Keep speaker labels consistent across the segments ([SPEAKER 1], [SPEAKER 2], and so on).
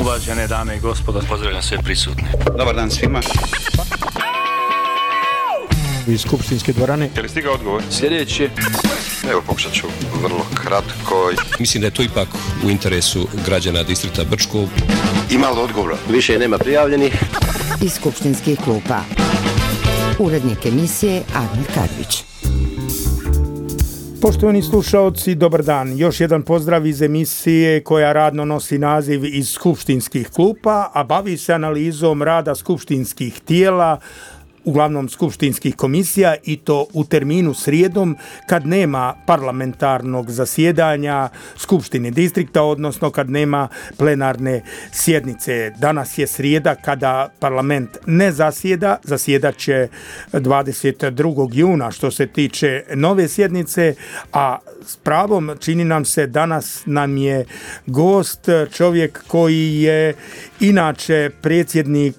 [SPEAKER 1] Uvažene dame i gospodo,
[SPEAKER 2] pozdravljam sve prisutne.
[SPEAKER 3] Dobar dan svima.
[SPEAKER 4] Iz skupštinske dvorane.
[SPEAKER 5] Je li stigao odgovor?
[SPEAKER 2] Sljedeće.
[SPEAKER 5] Evo, pokušat ću vrlo kratko.
[SPEAKER 6] Mislim da je to ipak u interesu građana distrikta Brčko.
[SPEAKER 3] Ima li odgovora?
[SPEAKER 2] Više nema prijavljenih.
[SPEAKER 7] Iz skupštinskih klupa. Urednik emisije Admir Karvić.
[SPEAKER 4] Poštovani slušaoci, dobar dan. Još jedan pozdrav iz emisije koja radno nosi naziv Iz skupštinskih klupa, a bavi se analizom rada skupštinskih tijela, uglavnom skupštinskih komisija, i to u terminu srijedom kad nema parlamentarnog zasjedanja Skupštine distrikta, odnosno kad nema plenarne sjednice. Danas je srijeda kada parlament ne zasjeda, zasjedat će 22. juna što se tiče nove sjednice, a s pravom čini nam se danas nam je gost čovjek koji je inače predsjednik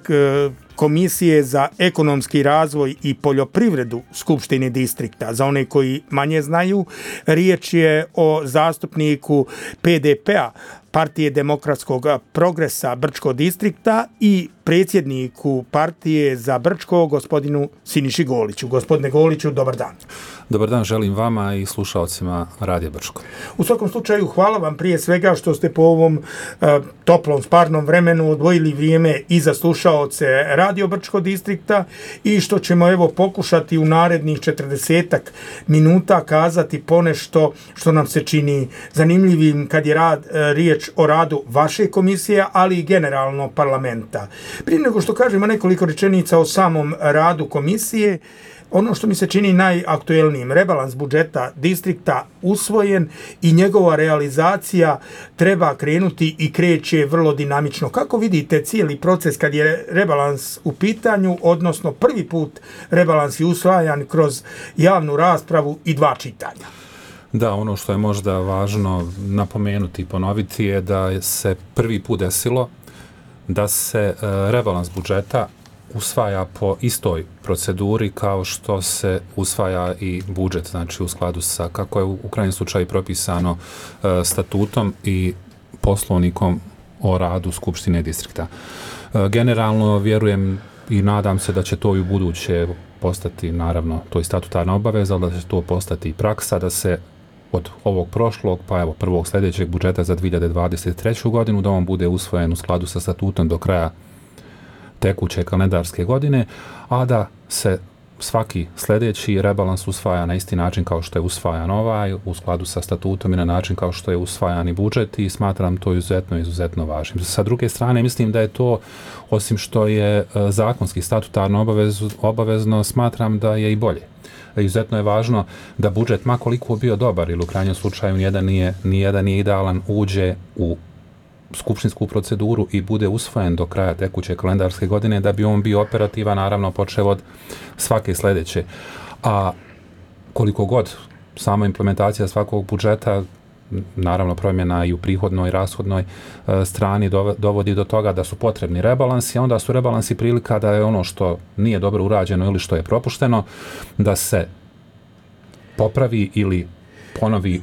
[SPEAKER 4] Komisije za ekonomski razvoj i poljoprivredu Skupštine distrikta. Za one koji manje znaju, riječ je o zastupniku PDP-a, Partije demokratskog progresa Brčko distrikta, i predsjedniku Partije za Brčko, gospodinu Siniši Goliću. Gospodine Goliću, dobar dan.
[SPEAKER 8] Dobar dan želim vama i slušalcima Radija Brčko.
[SPEAKER 4] U svakom slučaju, hvala vam prije svega što ste po ovom toplom, sparnom vremenu odvojili vrijeme i za slušaoce Radio Brčko distrikta i što ćemo evo pokušati u narednih 40 minuta kazati ponešto što nam se čini zanimljivim kad je riječ o radu vaše komisije, ali i generalno parlamenta. Prije nego što kažemo nekoliko rečenica o samom radu komisije, ono što mi se čini najaktuelnijim, rebalans budžeta distrikta usvojen i njegova realizacija treba krenuti i kreće vrlo dinamično. Kako vidite cijeli proces kad je rebalans u pitanju, odnosno prvi put rebalans je usvajan kroz javnu raspravu i 2 čitanja?
[SPEAKER 8] Da, ono što je možda važno napomenuti i ponoviti je da se prvi put desilo da se rebalans budžeta usvaja po istoj proceduri kao što se usvaja i budžet, znači u skladu sa, kako je u krajnjem slučaju propisano statutom i poslovnikom o radu Skupštine distrikta. Generalno vjerujem i nadam se da će to i u buduće postati, naravno, to je statutarna obaveza, ali da će to postati i praksa, da se od ovog prošlog, pa evo prvog sljedećeg budžeta za 2023. godinu, da on bude usvojen u skladu sa statutom do kraja tekuće kalendarske godine, a da se svaki sljedeći rebalans usvaja na isti način kao što je usvajan ovaj, u skladu sa statutom i na način kao što je usvajan i budžet, i smatram to izuzetno važnim. Sa druge strane, mislim da je to, osim što je zakonski statutarno obavezno, smatram da je i bolje. Izuzetno je važno da budžet, ma koliko bio dobar ili u krajnjem slučaju nijedan nije idealan, uđe u skupštinsku proceduru i bude usvojen do kraja tekuće kalendarske godine, da bi on bio operativan, naravno počev od svake sljedeće. A koliko god sama implementacija svakog budžeta, naravno promjena i u prihodnoj i rashodnoj strani dovodi do toga da su potrebni rebalansi, a onda su rebalansi prilika da je ono što nije dobro urađeno ili što je propušteno, da se popravi ili ponovi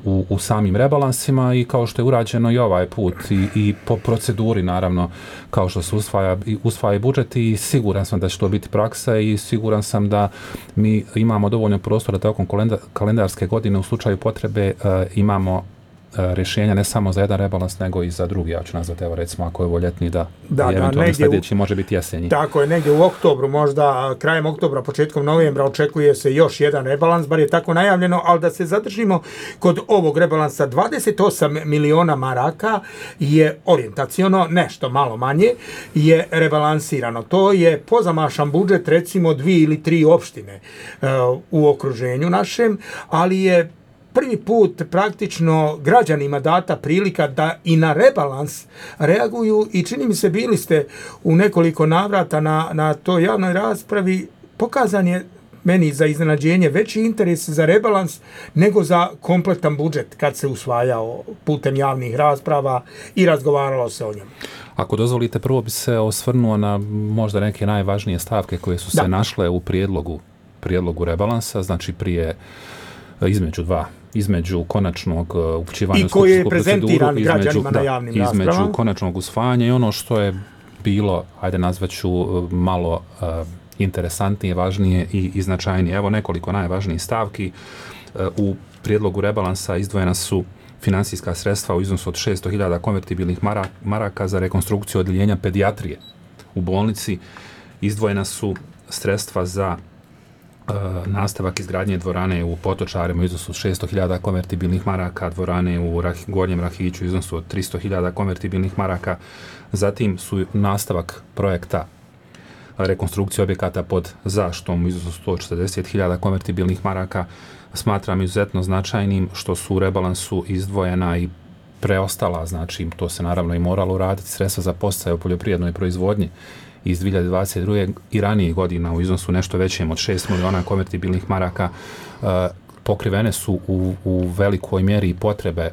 [SPEAKER 8] u samim rebalansima, i kao što je urađeno i ovaj put i po proceduri, naravno, kao što se usvaja budžet, i siguran sam da će to biti praksa i siguran sam da mi imamo dovoljno prostora tokom kalendarske godine u slučaju potrebe imamo rješenja ne samo za jedan rebalans, nego i za drugi. Ja ću nazvati, evo recimo, ako je ovo ljetni, da eventualno sljedeći može biti jesenji.
[SPEAKER 4] Tako je, negdje u oktobru, možda krajem oktobra, početkom novembra očekuje se još jedan rebalans, bar je tako najavljeno, ali da se zadržimo kod ovog rebalansa, 28 miliona maraka je orijentaciono, nešto malo manje, je rebalansirano. To je pozamašan budžet, recimo 2 ili 3 opštine u okruženju našem, ali je prvi put praktično građanima data prilika da i na rebalans reaguju, i čini mi se bili ste u nekoliko navrata na toj javnoj raspravi, pokazan je meni za iznenađenje veći interes za rebalans nego za kompletan budžet kad se usvajao putem javnih rasprava i razgovaralo se o njemu.
[SPEAKER 8] Ako dozvolite, prvo bi se osvrnuo na možda neke najvažnije stavke koje su se našle u prijedlogu rebalansa, znači između 2 između konačnog upućivanja
[SPEAKER 4] i koji je prezentiran građanima na javnim raspravama.
[SPEAKER 8] Između konačnog usvajanja i ono što je bilo, ajde nazvaću malo interesantnije, važnije i značajnije. Evo nekoliko najvažnijih stavki. U prijedlogu rebalansa izdvojena su finansijska sredstva u iznosu od 600.000 konvertibilnih maraka za rekonstrukciju odjeljenja pedijatrije u bolnici. Izdvojena su sredstva za nastavak izgradnje dvorane u Potočarima u iznosu od 600.000 konvertibilnih maraka, dvorane u Gornjem Rahiću u iznosu od 300.000 konvertibilnih maraka. Zatim su nastavak projekta rekonstrukcije objekata pod zaštom u iznosu 140.000 konvertibilnih maraka. Smatram izuzetno značajnim što su u rebalansu izdvojena i preostala, znači to se naravno i moralo uraditi, sredstva za podsticaje u poljoprivrednoj proizvodnji iz 2022. i ranijih godina u iznosu nešto većem od 6 miliona konvertibilnih maraka. Pokrivene su u velikoj mjeri potrebe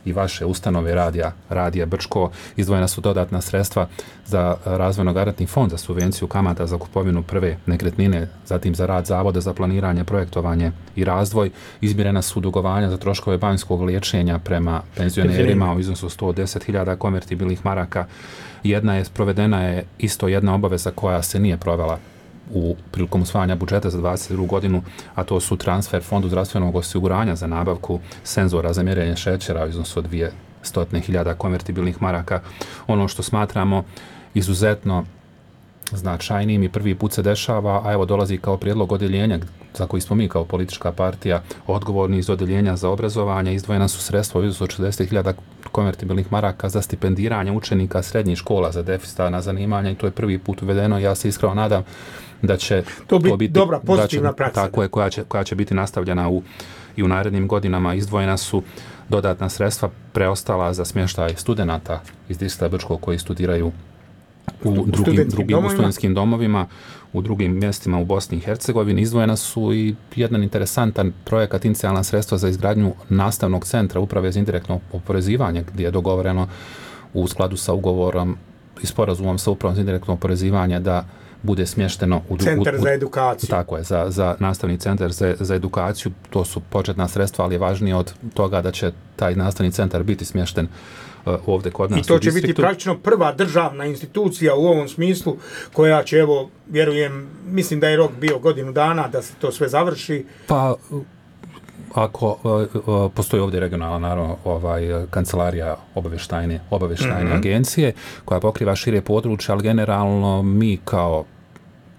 [SPEAKER 8] i vaše ustanove Radija Brčko. Izdvojena su dodatna sredstva za razvojno-garantni fond za subvenciju kamata za kupovinu prve nekretnine, zatim za rad Zavoda za planiranje, projektovanje i razvoj. Izmirena su dugovanja za troškove banjskog liječenja prema penzionerima u iznosu 110.000 konvertibilnih maraka. Provedena je isto jedna obaveza koja se nije provela prilikom usvajanja budžeta za 2022. godinu, a to su transfer Fondu zdravstvenog osiguranja za nabavku senzora za mjerenje šećera u iznosu od 200.000 konvertibilnih maraka. Ono što smatramo izuzetno značajnim i prvi put se dešava, a evo dolazi kao prijedlog odjeljenja za koji smo mi kao politička partija odgovorni iz odjeljenja za obrazovanje. Izdvojena su sredstva u iznosu od 60.000 konvertibilnih maraka za stipendiranje učenika srednjih škola za deficitarna zanimanja i to je prvi put uvedeno. Ja se iskreno nadam da će to biti
[SPEAKER 4] dobra, pozitivna praksa.
[SPEAKER 8] Tako je, koja će biti nastavljena i u narednim godinama. Izdvojena su dodatna sredstva preostala za smještaj studenata iz distrikta Brčko koji studiraju u drugim studentskim domovima, u drugim mjestima u Bosni i Hercegovini. Izdvojena su i jedan interesantan projekat, inicijalna sredstva za izgradnju nastavnog centra Uprave za indirektno oporezivanje, gdje je dogovoreno u skladu sa ugovorom i sporazumom sa Upravom za indirektno oporezivanje da bude smješteno u
[SPEAKER 4] centar za edukaciju.
[SPEAKER 8] Tako je, za nastavni centar za edukaciju. To su početna sredstva, ali je važnije od toga da će taj nastavni centar biti smješten ovdje kod nas.
[SPEAKER 4] I to će biti praktično prva državna institucija u ovom smislu koja će, evo, vjerujem, mislim da je rok bio godinu dana da se to sve završi.
[SPEAKER 8] Pa, ako postoji ovdje regionalna, naravno, kancelarija obavještajne agencije koja pokriva šire područje, ali generalno mi kao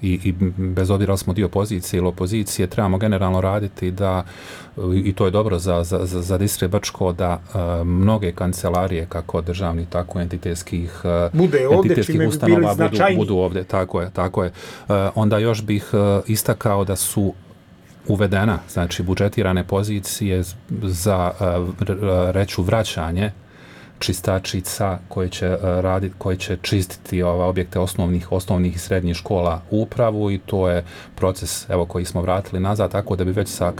[SPEAKER 8] i bez obzira smo dio pozicije ili opozicije, trebamo generalno raditi da, i to je dobro za distrikt Brčko, da mnoge kancelarije, kako državnih, tako entitetskih ustanova budu ovdje. Tako je. Onda još bih istakao da su uvedena, znači budžetirane pozicije za reću vraćanje čistačica koje će čistiti objekte osnovnih i srednjih škola u upravu i to je proces koji smo vratili nazad, tako da bi već sa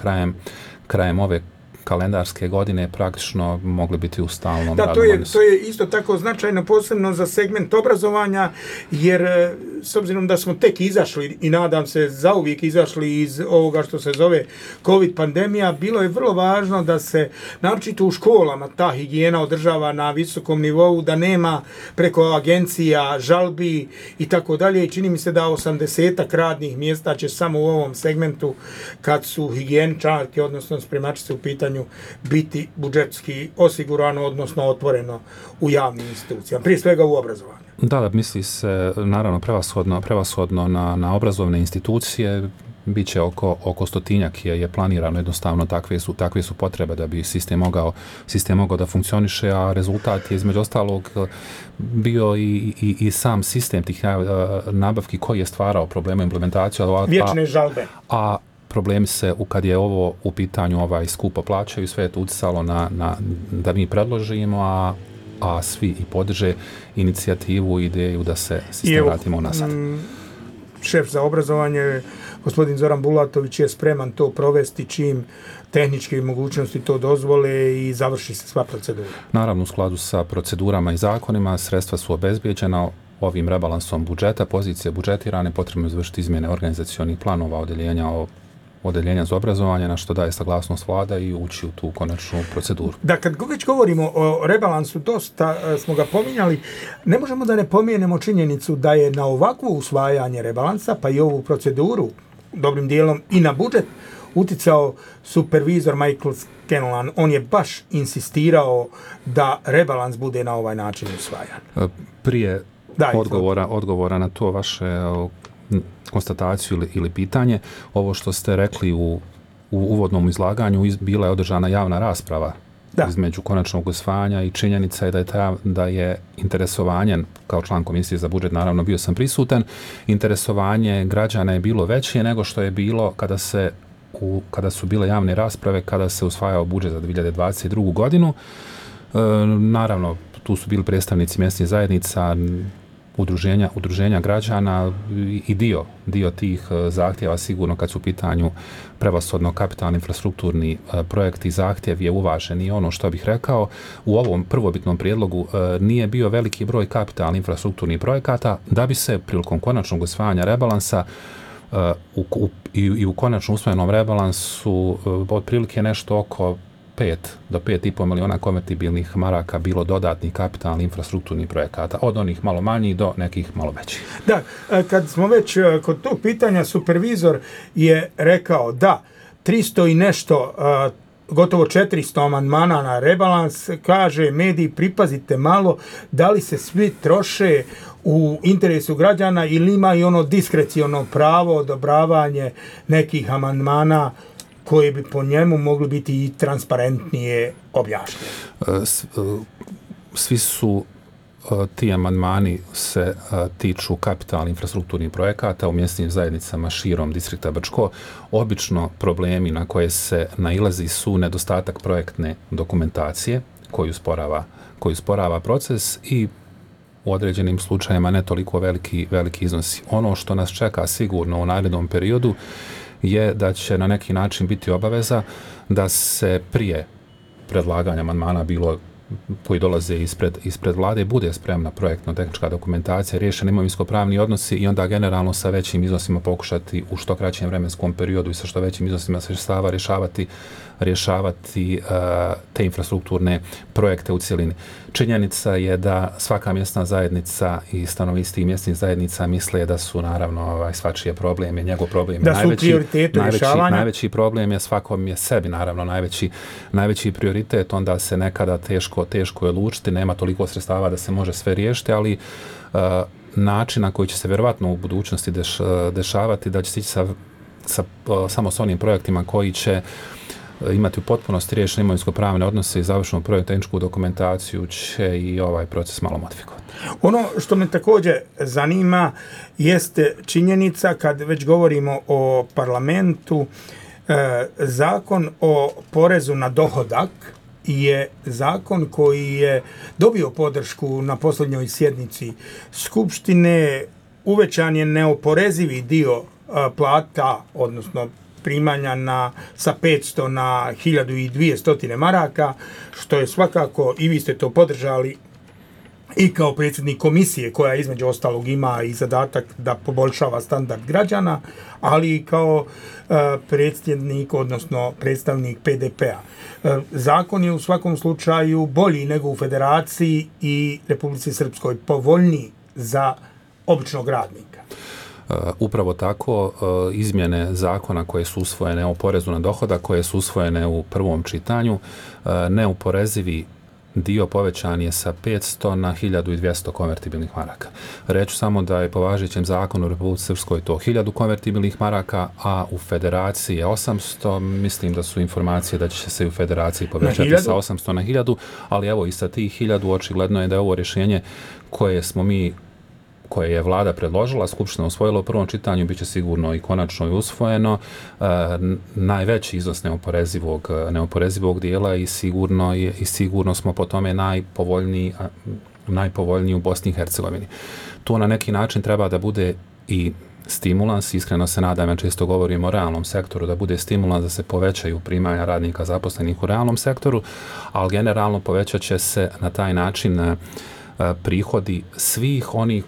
[SPEAKER 8] krajem ove kalendarske godine praktično mogli biti u stalnom
[SPEAKER 4] radu. Da, to je isto tako značajno, posebno za segment obrazovanja, jer s obzirom da smo tek izašli i nadam se zauvijek izašli iz ovoga što se zove COVID pandemija, bilo je vrlo važno da se naročito u školama ta higijena održava na visokom nivou, da nema preko agencija žalbi i tako dalje. I čini mi se da 80 radnih mjesta će samo u ovom segmentu, kad su higijeničarke, odnosno spremačice u pitanju, biti budžetski osigurano, odnosno otvoreno u javnim institucijama, prije svega u obrazovanju.
[SPEAKER 8] Da, misli se naravno prevashodno na obrazovne institucije, bit će oko 100-tinjak je planirano, jednostavno takve su potrebe da bi sistem mogao da funkcioniše, a rezultat je između ostalog bio i sam sistem tih nabavki koji je stvarao probleme implementacije.
[SPEAKER 4] Vječne žalbe.
[SPEAKER 8] A problemi se, kad je ovo u pitanju skupo plaćaju, sve je to utjecalo da mi predložimo, a svi i podrže inicijativu i ideju da se sistem vratimo unazad.
[SPEAKER 4] Šef za obrazovanje, gospodin Zoran Bulatović, je spreman to provesti čim tehničke mogućnosti to dozvole i završi se sva procedura.
[SPEAKER 8] Naravno, u skladu sa procedurama i zakonima, sredstva su obezbijeđena ovim rebalansom budžeta, pozicije budžetirane, potrebno izvršiti izmjene organizacionih planova odjeljenja o odeljenja za obrazovanje, na što daje saglasnost vlada i ući u tu konačnu proceduru.
[SPEAKER 4] Da, kad već govorimo o rebalansu, dosta smo ga pominjali, ne možemo da ne pomenemo činjenicu da je na ovakvo usvajanje rebalansa, pa i ovu proceduru, dobrim dijelom i na budžet, uticao supervizor Michael Scanlon. On je baš insistirao da rebalans bude na ovaj način usvajan.
[SPEAKER 8] Prije odgovora na to vaše konstataciju ili pitanje, ovo što ste rekli u uvodnom izlaganju, bila je održana javna rasprava između konačnog usvajanja i činjenica je da je interesovanje, kao član Komisije za budžet, naravno bio sam prisutan, interesovanje građana je bilo veće nego što je bilo kada su bile javne rasprave, kada se usvajao budžet za 2022. godinu. Naravno, tu su bili predstavnici mjesnih zajednica, udruženja građana i dio tih zahtjeva sigurno kad su u pitanju prevashodno kapitalni infrastrukturni projekti i zahtjev je uvažen. I ono što bih rekao, u ovom prvobitnom prijedlogu nije bio veliki broj kapitalnih infrastrukturnih projekata da bi se prilikom konačnog usvajanja rebalansa i u konačno usvojenom rebalansu otprilike nešto oko 5 do 5,5 miliona konvertibilnih maraka bilo dodatnih kapitalnih infrastrukturnih projekata, od onih malo manjih do nekih malo većih.
[SPEAKER 4] Da, kad smo već kod tog pitanja, supervizor je rekao da 300 i nešto, gotovo 400 amandmana na rebalans, kaže mediji, pripazite malo da li se svi troše u interesu građana ili ima i ono diskreciono pravo odobravanje nekih amandmana koje bi po njemu mogli biti i transparentnije objašnjeni.
[SPEAKER 8] Svi su ti amandmani se tiču kapitalnih infrastrukturnih projekata u mjesnim zajednicama širom distrikta Brčko. Obično problemi na koje se nailazi su nedostatak projektne dokumentacije koju usporava proces i u određenim slučajima ne toliko veliki iznosi. Ono što nas čeka sigurno u narednom periodu je da će na neki način biti obaveza da se prije predlaganja amandmana bilo koji dolaze ispred vlade bude spremna projektno-tehnička dokumentacija, riješeni imovinsko-pravni odnosi i onda generalno sa većim iznosima pokušati u što kraćem vremenskom periodu i sa što većim iznosima sredstava rješavati te infrastrukturne projekte u cjelini. Činjenica je da svaka mjesna zajednica i stanovnici tih mjesnih zajednica misle da su naravno svačije probleme, njegov problem je najveći problem je svakom je sebi naravno najveći prioritet, onda se nekada teško je odlučiti, nema toliko sredstava da se može sve riješiti, ali način na koji će se vjerovatno u budućnosti dešavati da će se ići samo s onim projektima koji će imati u potpunosti riješene imovinsko-pravne odnose i završenu projektno-tehničku dokumentaciju će i ovaj proces malo modifikovati.
[SPEAKER 4] Ono što me također zanima jeste činjenica, kad već govorimo o parlamentu, zakon o porezu na dohodak je zakon koji je dobio podršku na posljednjoj sjednici Skupštine. Uvećan je neoporezivi dio plata, odnosno primanja sa 500 na 1200 maraka, što je svakako, i vi ste to podržali, i kao predsjednik komisije koja između ostalog ima i zadatak da poboljšava standard građana, ali i kao predsjednik, odnosno predstavnik PDP-a. Zakon je u svakom slučaju bolji nego u Federaciji i Republici Srpskoj, povoljniji za običnog radnika.
[SPEAKER 8] Upravo tako, izmjene zakona koje su usvojene o porezu na dohodak, koje su usvojene u prvom čitanju, neoporezivi dio povećan je sa 500 na 1200 konvertibilnih maraka. Reću samo da je po važećem zakonu u Republici Srpskoj to 1000 konvertibilnih maraka, a u Federaciji je 800. Mislim da su informacije da će se u Federaciji povećati sa 800 na 1000, ali evo i sa tih 1000 očigledno je da je ovo rješenje koje je vlada predložila, Skupština usvojila u prvom čitanju, bit će sigurno i konačno i usvojeno, najveći iznos neoporezivog dijela i sigurno smo po tome najpovoljniji u Bosni i Hercegovini. To na neki način treba da bude i stimulans, iskreno se nadam, ja često govorim o realnom sektoru, da bude stimulans da se povećaju primanja radnika zaposlenih u realnom sektoru, ali generalno povećat će se na taj način prihodi svih onih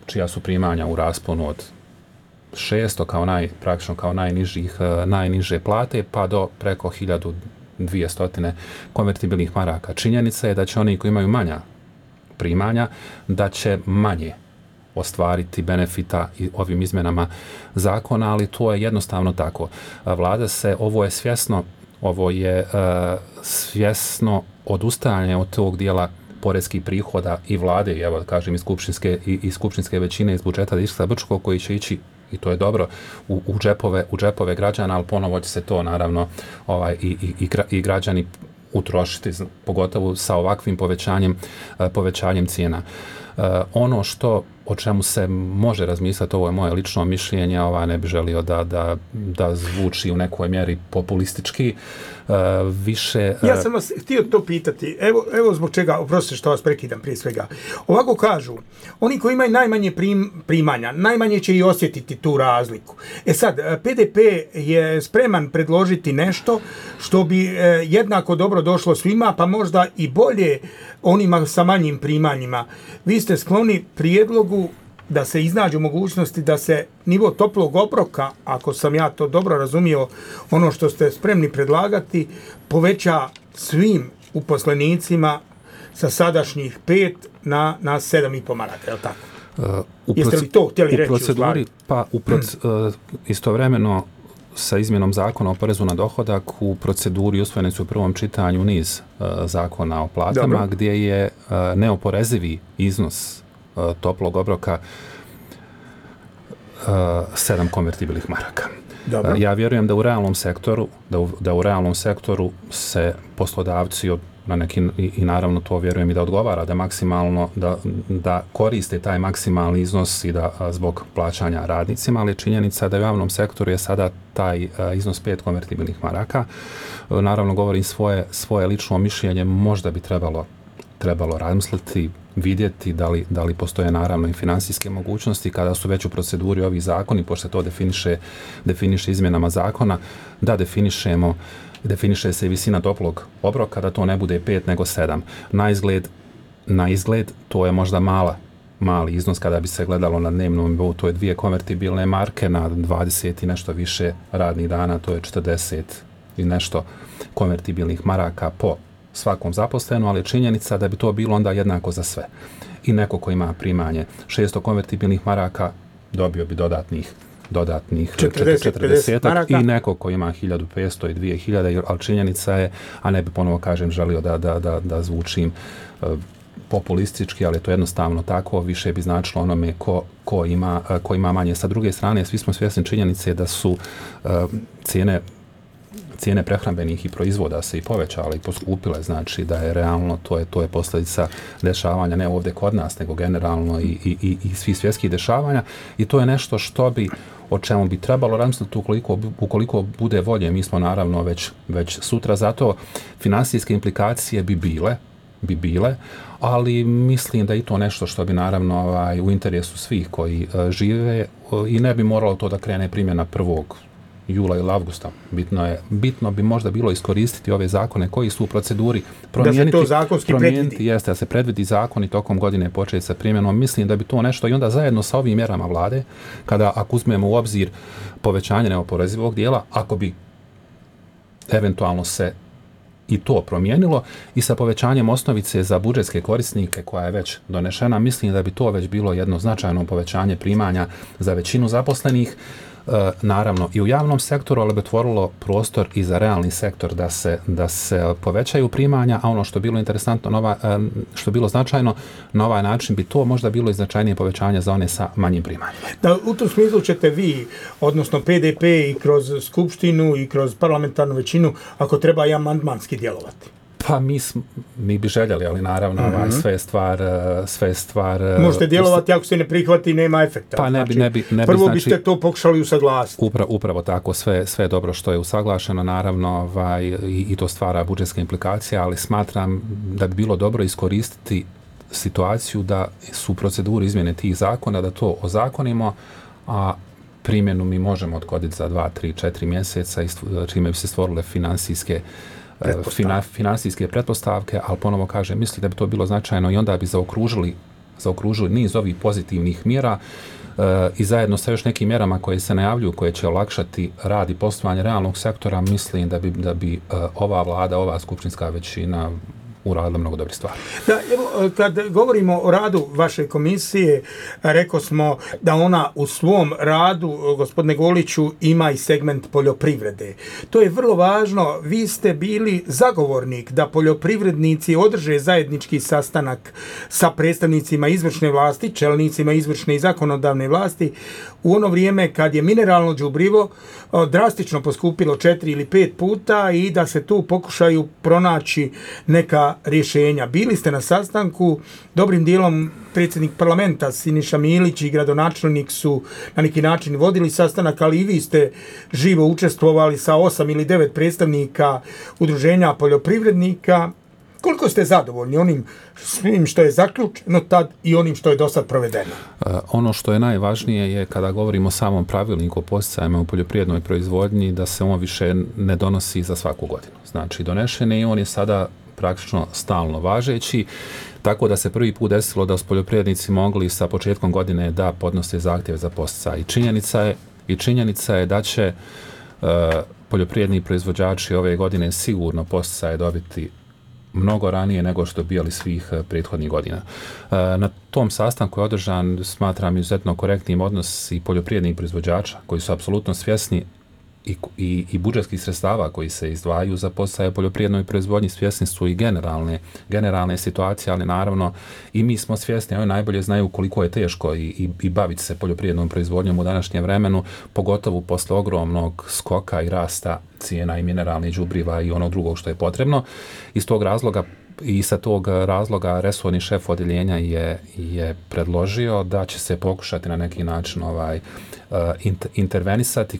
[SPEAKER 8] čija su primanja u rasponu od 600 praktično kao najniže plate pa do preko 1200 konvertibilnih maraka. Činjenica je da će oni koji imaju manja primanja, da će manje ostvariti benefita i ovim izmjenama zakona, ali to je jednostavno tako. Vlada se, ovo je svjesno odustajanje od tog dijela poreskih prihoda i vlade, i evo kažem i skupštinske većine iz budžeta Distrikta Brčko, koji će ići, i to je dobro, u džepove građana, ali ponovo će se to naravno i građani utrošiti, pogotovo sa ovakvim povećanjem cijena. Ono o čemu se može razmisliti, ovo je moje lično mišljenje, ne bi želio da zvuči u nekoj mjeri populistički, više...
[SPEAKER 4] Ja sam vas htio to pitati, evo zbog čega, oprostite što vas prekidam prije svega. Ovako kažu, oni koji imaju najmanje primanja, najmanje će i osjetiti tu razliku. Sad, PDP je spreman predložiti nešto što bi jednako dobro došlo svima, pa možda i bolje onima sa manjim primanjima. Vi ste skloni prijedlogu da se iznađu mogućnosti da se nivo toplog obroka, ako sam ja to dobro razumio, ono što ste spremni predlagati, poveća svim uposlenicima sa sadašnjih 5 na 7,5 maraka, je li tako? Jeste li to htjeli reći u stvari?
[SPEAKER 8] Pa istovremeno sa izmjenom zakona o porezu na dohodak u proceduri usvojeni su u prvom čitanju niz zakona o platama. Dobro. Gdje je neoporezivi iznos toplog obroka 7 konvertibilnih maraka. Dobro. Ja vjerujem da u realnom sektoru se poslodavci na neki, i naravno to vjerujem i da odgovara da maksimalno da koriste taj maksimalni iznos i da zbog plaćanja radnicima, ali činjenica da u javnom sektoru je sada taj iznos 5 konvertibilnih maraka. Naravno govorim svoje lično mišljenje, možda bi trebalo razmisliti, vidjeti da li postoje naravno i financijske mogućnosti kada su već u proceduri ovi zakoni, pošto to definiše izmjenama zakona, da definiše se i visina toplog obroka, da to ne bude 5 nego 7. Na izgled to je možda mali iznos kada bi se gledalo na dnevnom nivou, to je 2 konvertibilne marke na 20 i nešto više radnih dana, to je 40 i nešto konvertibilnih maraka po svakom zaposlenu, ali činjenica da bi to bilo onda jednako za sve. I neko ko ima primanje 600 konvertibilnih maraka dobio bi dodatnih 40 i neko ko ima 1500 i 2000, ali činjenica je, a ne bi ponovo kažem želio da zvučim populistički, ali to jednostavno tako, više bi značilo onome ko ima manje. Sa druge strane, svi smo svjesni činjenice da su cijene prehrambenih i proizvoda se i povećale i poskupile, znači da je realno, to je posljedica dešavanja, ne ovdje kod nas, nego generalno i svih svjetskih dešavanja, i to je nešto o čemu bi trebalo razmisliti ukoliko bude volje. Mi smo naravno već sutra, zato financijske implikacije bi bile, ali mislim da i to nešto što bi naravno u interesu svih koji žive, i ne bi moralo to da krene primjena 1. jula ili avgusta. Bitno bi možda bilo iskoristiti ove zakone koji su u proceduri, promijeniti,
[SPEAKER 4] da se to zakonski predvidi.
[SPEAKER 8] Jeste, da se predvidi zakon i tokom godine početi sa primjenom. Mislim da bi to nešto, i onda zajedno sa ovim mjerama vlade, ako uzmemo u obzir povećanje neoporezivog dijela, ako bi eventualno se i to promijenilo, i sa povećanjem osnovice za budžetske korisnike koja je već donešena, mislim da bi to već bilo jedno značajno povećanje primanja za većinu zaposlenih, naravno i u javnom sektoru, ali bi otvorilo prostor i za realni sektor da se povećaju primanja, a ono što je bilo interesantno, što je bilo značajno, na ovaj način bi to možda bilo i značajnije povećanje za one sa manjim primanjima.
[SPEAKER 4] Da, u tom smislu ćete vi, odnosno PDP, i kroz skupštinu i kroz parlamentarnu većinu, ako treba i amandmanski djelovati?
[SPEAKER 8] Pa mi bi željeli, ali naravno sve je stvar...
[SPEAKER 4] Možete djelovati ako se ne prihvati, nema efekta.
[SPEAKER 8] Pa ne bi
[SPEAKER 4] prvo biste to pokušali usaglasiti.
[SPEAKER 8] Upravo tako, sve je dobro što je usaglašeno, naravno, i to stvara budžetske implikacije, ali smatram da bi bilo dobro iskoristiti situaciju da su u proceduri izmjene tih zakona, da to ozakonimo, a primjenu mi možemo odgoditi za 2, 3, 4 mjeseca, čime bi se stvorile financijske pretpostavke, ali ponovo kažem, mislim da bi to bilo značajno, i onda bi zaokružili niz ovih pozitivnih mjera i zajedno sa još nekim mjerama koje se najavljuju, koje će olakšati rad i poslovanje realnog sektora, mislim da bi ova vlada, ova skupštinska većina uradila mnogo dobrih stvari.
[SPEAKER 4] Da, evo, kad govorimo o radu vaše komisije, rekao smo da ona u svom radu, gospodine Goliću, ima i segment poljoprivrede. To je vrlo važno. Vi ste bili zagovornik da poljoprivrednici održe zajednički sastanak sa predstavnicima izvršne vlasti, čelnicima izvršne i zakonodavne vlasti, u ono vrijeme kad je mineralno đubrivo drastično poskupilo 4 ili 5 puta i da se tu pokušaju pronaći neka rješenja. Bili ste na sastanku, dobrim dijelom predsjednik parlamenta Siniša Milić i gradonačelnik su na neki način vodili sastanak, ali i vi ste živo učestvovali sa 8 ili 9 predstavnika udruženja poljoprivrednika. Koliko ste zadovoljni onim svim što je zaključeno tad i onim što je do sad provedeno?
[SPEAKER 8] Ono što je najvažnije je kada govorimo o samom pravilniku o podsticajima u poljoprivrednoj proizvodnji, da se on više ne donosi za svaku godinu. Znači, donešen je i on je sada praktično stalno važeći, tako da se prvi put desilo da su poljoprivrednici mogli sa početkom godine da podnose zahtjeve za podsticaj. I činjenica je da će poljoprivredni proizvođači ove godine sigurno podsticaje dobiti mnogo ranije nego što dobijali svih prethodnih godina. Na tom sastanku je održan, smatram, izuzetno korektnim odnos i poljoprivrednih proizvođača koji su apsolutno svjesni i budžetskih sredstava koji se izdvajaju za podsticaje poljoprivrednoj proizvodnji, svjesni su i generalne situacije, ali naravno i mi smo svjesni, oni najbolje znaju koliko je teško i baviti se poljoprivrednom proizvodnjom u današnjem vremenu, pogotovo posle ogromnog skoka i rasta cijena i mineralnih đubriva i onog drugog što je potrebno. Iz tog razloga i sa tog razloga resorni šef odjeljenja je predložio da će se pokušati na neki način intervenisati.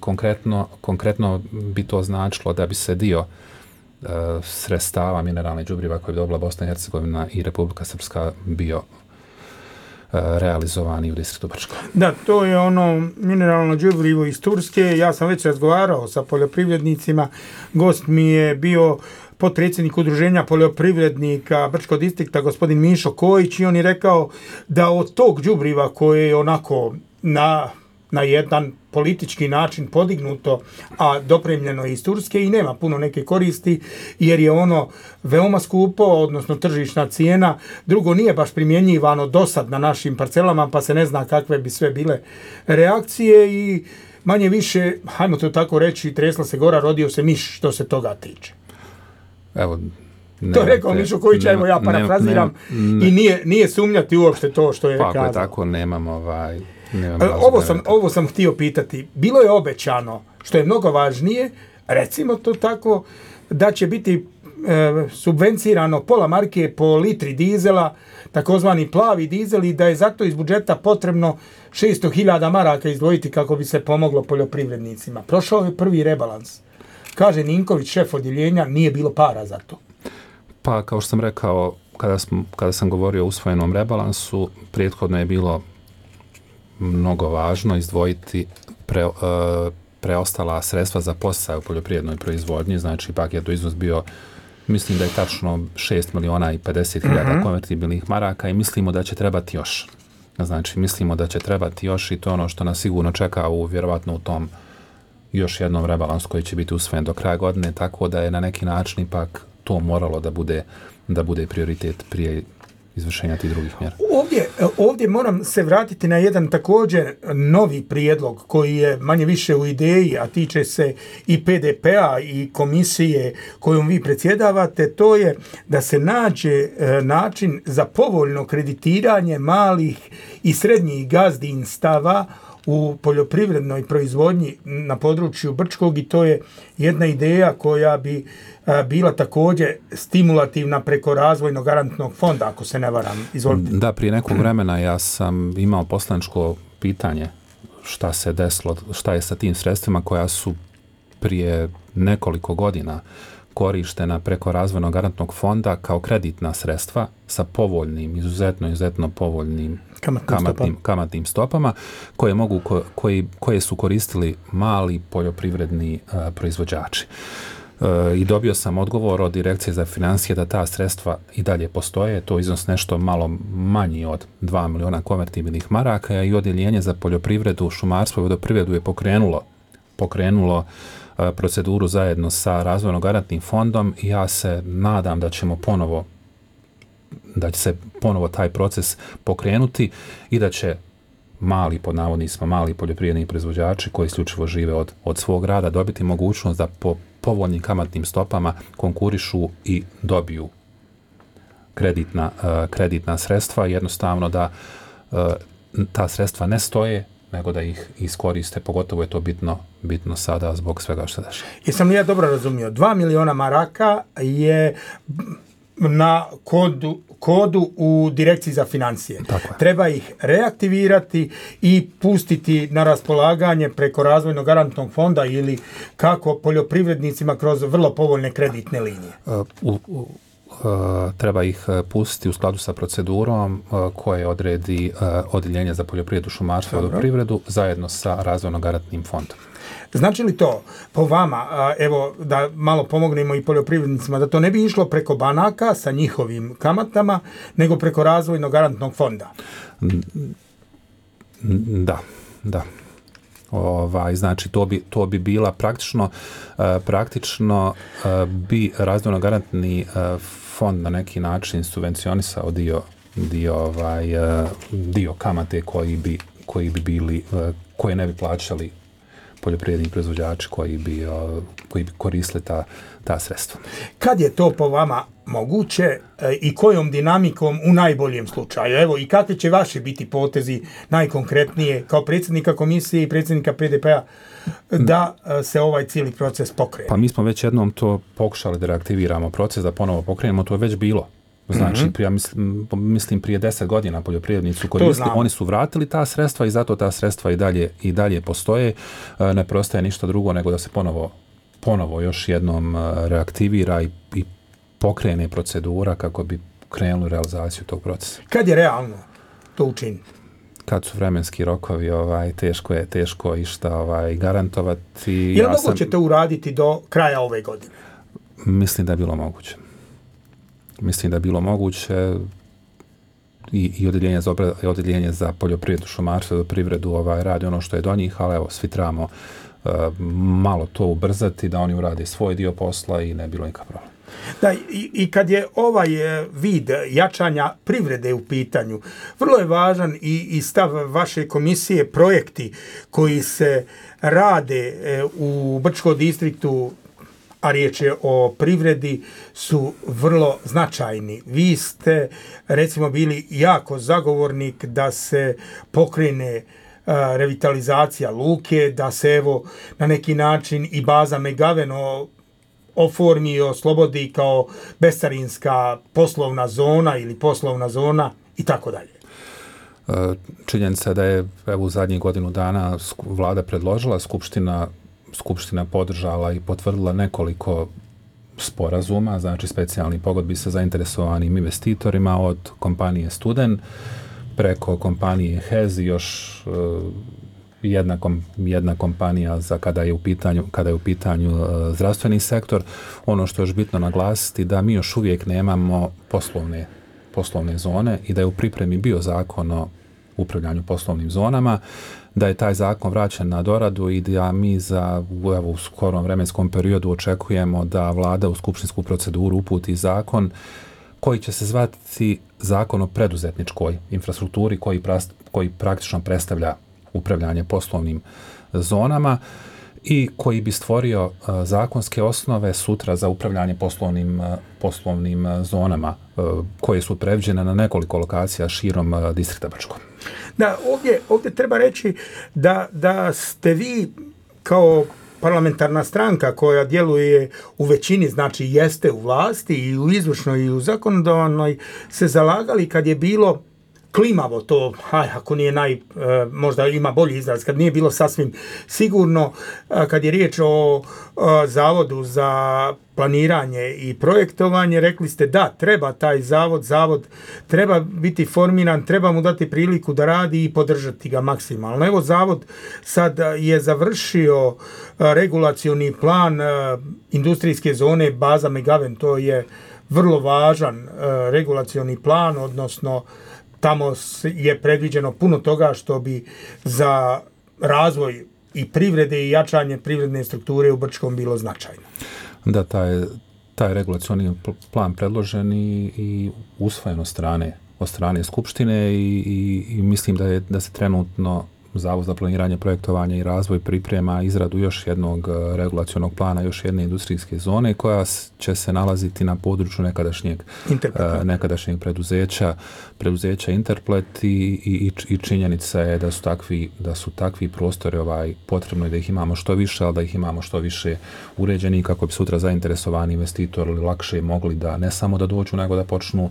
[SPEAKER 8] Konkretno bi to značilo da bi se dio sredstava mineralne đubriva koje bi dobila Bosna i Hercegovina i Republika Srpska bio realizovani u distriktu Brčko.
[SPEAKER 4] Da, to je ono mineralno đubrivo iz Turske. Ja sam već razgovarao sa poljoprivrednicima. Gost mi je bio potpredsjednik udruženja poljoprivrednika Brčkog distrikta, gospodin Mišo Kojić, i on je rekao da od tog đubriva koje je onako na jedan politički način podignuto, a dopremljeno iz Turske, i nema puno neke koristi, jer je ono veoma skupo, odnosno tržišna cijena. Drugo, nije baš primjenjivano dosad na našim parcelama, pa se ne zna kakve bi sve bile reakcije i manje više, hajmo to tako reći, tresla se gora, rodio se miš što se toga tiče.
[SPEAKER 8] Evo,
[SPEAKER 4] to je rekao Mišo Kojić, evo ja parafraziram, i nije sumnjati uopšte to što je kazao.
[SPEAKER 8] Pa tako, nemam
[SPEAKER 4] ovo sam htio pitati. Bilo je obećano, što je mnogo važnije, recimo to tako, da će biti subvencirano pola marke po litri dizela, takozvani plavi dizel, i da je zato iz budžeta potrebno 600.000 maraka izdvojiti kako bi se pomoglo poljoprivrednicima. Prošao je prvi rebalans. Kaže Ninković, šef odjeljenja, nije bilo para za to.
[SPEAKER 8] Pa, kao što sam rekao, kada sam govorio o usvojenom rebalansu, prethodno je bilo mnogo važno izdvojiti preostala sredstva za podsticaj u poljoprivrednoj proizvodnji. Znači, paket u iznos bio, mislim da je tačno 6.050.000 konvertibilnih maraka i mislimo da će trebati još. Znači, mislimo da će trebati još i to je ono što nas sigurno čeka vjerovatno u tom još jednom rebalansu koji će biti usvojen do kraja godine, tako da je na neki način ipak to moralo da bude prioritet prije izvršenja tih drugih mjera.
[SPEAKER 4] Ovdje moram se vratiti na jedan također novi prijedlog koji je manje više u ideji, a tiče se i PDP-a i komisije kojom vi predsjedavate. To je da se nađe način za povoljno kreditiranje malih i srednjih gazdinstava u poljoprivrednoj proizvodnji na području Brčkog, i to je jedna ideja koja bi bila također stimulativna preko razvojnog garantnog fonda, ako se ne varam. Izvolite.
[SPEAKER 8] Da, prije nekog vremena ja sam imao poslaničko pitanje šta se desilo, šta je sa tim sredstvima koja su prije nekoliko godina korištena preko razvojnog garantnog fonda kao kreditna sredstva sa povoljnim, izuzetno povoljnim kamatnim stopama koje su koristili mali poljoprivredni proizvođači. I dobio sam odgovor od Direkcije za financije da ta sredstva i dalje postoje, to iznos nešto malo manji od 2 miliona konvertibilnih maraka i odjeljenje za poljoprivredu, šumarstvo i vodoprivredu je pokrenulo proceduru zajedno sa Razvojno-garantnim fondom i ja se nadam da će se ponovo taj proces pokrenuti i da će mali poljoprivredni proizvođači koji isključivo žive od svog rada dobiti mogućnost da po povoljnim kamatnim stopama konkurišu i dobiju kreditna sredstva, jednostavno da ta sredstva ne stoje, nego da ih iskoriste, pogotovo je to bitno sada zbog svega što dešava.
[SPEAKER 4] Jesam li ja dobro razumio? 2 miliona maraka je na kodu u Direkciji za financije. Treba ih reaktivirati i pustiti na raspolaganje preko Razvojno-garantnog fonda ili kako poljoprivrednicima kroz vrlo povoljne kreditne linije.
[SPEAKER 8] Treba ih pustiti u skladu sa procedurom koje odredi Odjeljenje za poljoprivredu, šumarstvo i vodoprivredu zajedno sa Razvojno-garantnim fondom.
[SPEAKER 4] Znači li to po vama, evo da malo pomognemo i poljoprivrednicima, da to ne bi išlo preko banaka sa njihovim kamatama, nego preko Razvojno-garantnog fonda?
[SPEAKER 8] Da. Znači to bi bila praktično bi Razvojno-garantni fond na neki način subvencionisao dio kamate koji bi bili, koje ne bi plaćali poljoprivredni proizvođači koji bi koristili ta sredstva.
[SPEAKER 4] Kad je to po vama moguće i kojom dinamikom u najboljem slučaju? Evo, i kakvi će vaši biti potezi najkonkretnije kao predsjednika komisije i predsjednika PDP-a da se ovaj cijeli proces pokrene?
[SPEAKER 8] Pa mi smo već jednom to pokušali da reaktiviramo proces, da ponovo pokrenemo, to je već bilo. Znači, mislim prije 10 godina poljoprivrednici su koristili, oni su vratili ta sredstva i zato ta sredstva i dalje postoje. Ne preostaje ništa drugo nego da se ponovo još jednom reaktivira i pokrene procedura kako bi krenuli realizaciju tog procesa.
[SPEAKER 4] Kad je realno to učiniti?
[SPEAKER 8] Kad su vremenski rokovi, teško išta garantovati.
[SPEAKER 4] Je li moguće to uraditi do kraja ove godine?
[SPEAKER 8] Mislim da je bilo moguće i odjeljenje za poljoprivredu, šumarstvo i vodoprivredu radi ono što je do njih, ali evo, svi trebamo malo to ubrzati da oni urade svoj dio posla i ne bilo nikakav problem.
[SPEAKER 4] Da, i kad je ovaj vid jačanja privrede u pitanju, vrlo je važan i stav vaše komisije, projekti koji se rade u Brčkom distriktu, a riječ je o privredi, su vrlo značajni. Vi ste, recimo, bili jako zagovornik da se pokrene revitalizacija luke, da se evo na neki način i baza Megaveno oformi i oslobodi kao bescarinska poslovna zona ili poslovna zona i tako dalje.
[SPEAKER 8] Činjenica da je u zadnjih godinu dana vlada predložila, Skupština podržala i potvrdila nekoliko sporazuma, znači specijalni pogodbi sa zainteresovanim investitorima od kompanije Studen preko kompanije HEZ i još jedna kompanija za kada je u pitanju zdravstveni sektor. Ono što je još bitno naglasiti da mi još uvijek nemamo poslovne zone i da je u pripremi bio zakon o upravljanju poslovnim zonama, da je taj zakon vraćen na doradu i da mi u skorom vremenskom periodu očekujemo da vlada u skupštinsku proceduru uputi zakon koji će se zvati Zakon o preduzetničkoj infrastrukturi koji praktično predstavlja upravljanje poslovnim zonama i koji bi stvorio zakonske osnove sutra za upravljanje poslovnim zonama koje su predviđene na nekoliko lokacija širom distrikta Brčkog.
[SPEAKER 4] Da, ovdje treba reći da ste vi kao parlamentarna stranka koja djeluje u većini, znači jeste u vlasti i u izvršnoj i u zakonodavnoj, se zalagali kad je bilo klimavo to, ako nije možda ima bolji izraz, kad nije bilo sasvim sigurno, kad je riječ o Zavodu za planiranje i projektovanje, rekli ste da, treba taj zavod treba biti formiran, treba mu dati priliku da radi i podržati ga maksimalno. Evo, zavod sad je završio regulacioni plan industrijske zone baza Megaven, to je vrlo važan regulacioni plan, odnosno tamo je predviđeno puno toga što bi za razvoj i privrede i jačanje privredne strukture u Brčkom bilo značajno.
[SPEAKER 8] Da, taj regulacioni plan predložen i usvojen od strane Skupštine i mislim da se trenutno Zavod za planiranje, projektovanje i razvoj priprema izradu još jednog regulacionog plana, još jedne industrijske zone koja će se nalaziti na području nekadašnjeg preduzeća Interplet i činjenica je da su takvi prostori potrebno je da ih imamo što više, ali da ih imamo što više uređeni kako bi sutra zainteresovani investitori lakše mogli da ne samo da dođu, nego da počnu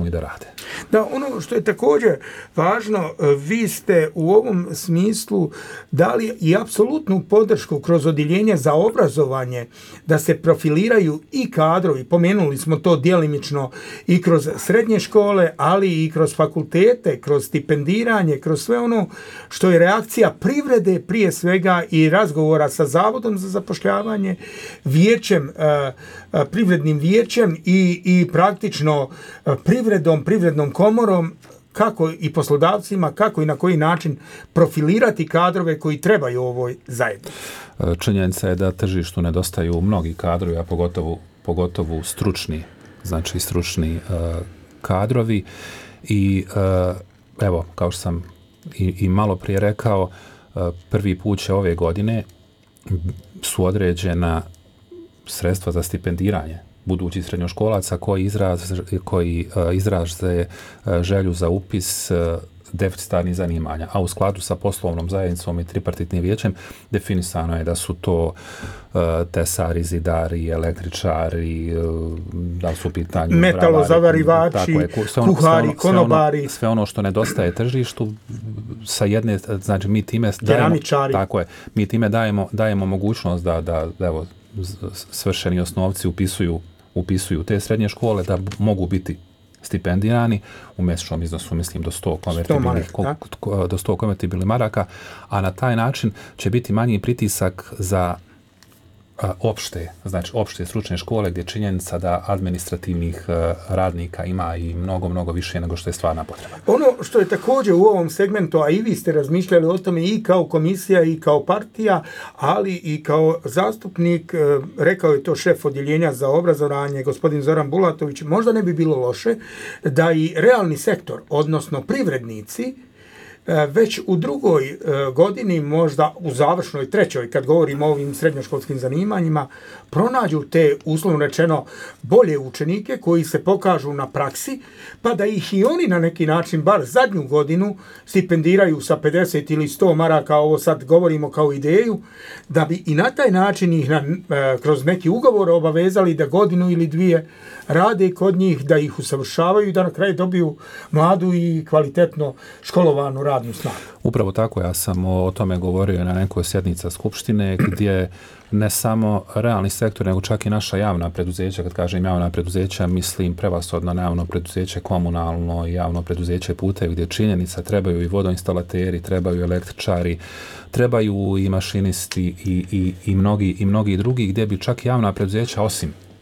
[SPEAKER 8] i da rade.
[SPEAKER 4] Da, ono što je također važno, vi ste u ovom smislu dali i apsolutnu podršku kroz odjeljenje za obrazovanje da se profiliraju i kadrovi, pomenuli smo to djelimično i kroz srednje škole, ali i kroz fakultete, kroz stipendiranje, kroz sve ono što je reakcija privrede prije svega i razgovora sa Zavodom za zapošljavanje, privrednim vijećem i praktično privrednom komorom, kako i poslodavcima, kako i na koji način profilirati kadrove koji trebaju ovoj zajednici.
[SPEAKER 8] Činjenica je da tržištu nedostaju mnogi kadrovi, a pogotovo stručni kadrovi i evo, kao što sam i malo prije rekao, prvi put će ove godine su određena sredstva za stipendiranje budućih srednjoškolaca koji izraze želju za upis deficitarnih zanimanja, a u skladu sa poslovnom zajednicom i tripartitnim vijećem definisano je da su to tesari, zidari, električari, da su u pitanju
[SPEAKER 4] metalozavarivači, kuhari, konobari,
[SPEAKER 8] sve ono što nedostaje tržištu sa jedne, znači mi time dajemo mogućnost da evo svršeni osnovci upisuju te srednje škole, da mogu biti stipendirani u mjesečnom iznosu, mislim, do 100 konvertibilnih maraka, a na taj način će biti manji pritisak za opšte stručne škole, gdje je činjenica da administrativnih radnika ima i mnogo više nego što je stvarna potreba.
[SPEAKER 4] Ono što je također u ovom segmentu, a i vi ste razmišljali o tome i kao komisija i kao partija, ali i kao zastupnik, rekao je to šef odjeljenja za obrazovanje, gospodin Zoran Bulatović, možda ne bi bilo loše da i realni sektor, odnosno privrednici, već u drugoj godini, možda u završnoj trećoj, kad govorimo o ovim srednjoškolskim zanimanjima, pronađu te, uslovno rečeno, bolje učenike koji se pokažu na praksi, pa da ih i oni na neki način, bar zadnju godinu, stipendiraju sa 50 ili 100 maraka, ovo sad govorimo kao ideju, da bi i na taj način ih kroz neki ugovor obavezali da godinu ili dvije rade kod njih, da ih usavršavaju i da na kraju dobiju mladu i kvalitetno školovanu radnu snagu.
[SPEAKER 8] Upravo tako, ja sam o tome govorio na nekoj sjednica Skupštine, gdje ne samo realni sektor, nego čak i naša javna preduzeća, kad kažem javna preduzeća, mislim prevashodno na javno preduzeće komunalno i javno preduzeće putevi, gdje činjenica trebaju i vodoinstalateri, trebaju električari, trebaju i mašinisti i mnogi drugi, gdje bi čak javna preduzeća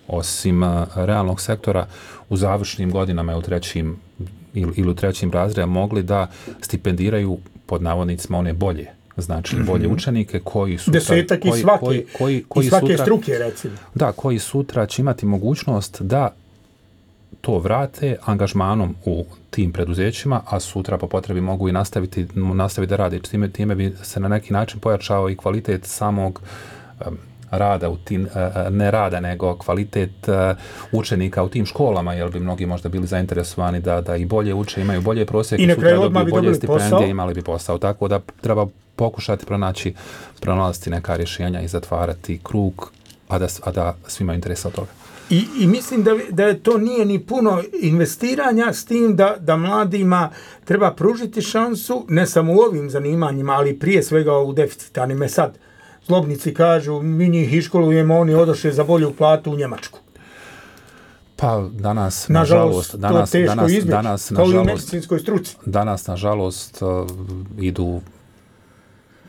[SPEAKER 8] osim realnog sektora u završnim godinama ili u trećim razredima mogli da stipendiraju pod navodnicima one bolje, znači bolje učenike koji su
[SPEAKER 4] desetak iz svake struke, recimo. Da, koji
[SPEAKER 8] sutra će imati mogućnost da to vrate angažmanom u tim preduzećima, a sutra po potrebi mogu i nastaviti da rade. Time bi se na neki način pojačao i kvalitet samog rada u tim, ne rada, nego kvalitet učenika u tim školama, jer bi mnogi možda bili zainteresovani da i bolje uče, imaju bolje prosjeke, sutra dobiju bolje stipendije, imali bi posao. Tako da treba pokušati pronalaziti neka rješenja i zatvarati krug, a da svima interesa od toga.
[SPEAKER 4] I mislim da to nije ni puno investiranja, s tim da mladima treba pružiti šansu, ne samo u ovim zanimanjima, ali prije svega u deficitarnim. Sad, zlobnici kažu, mi njih iškolujemo, oni odošli za bolju platu u Njemačku.
[SPEAKER 8] Pa danas,
[SPEAKER 4] nažalost, to teško izbjeći, kao i u medicinskoj struci.
[SPEAKER 8] Danas, nažalost, idu,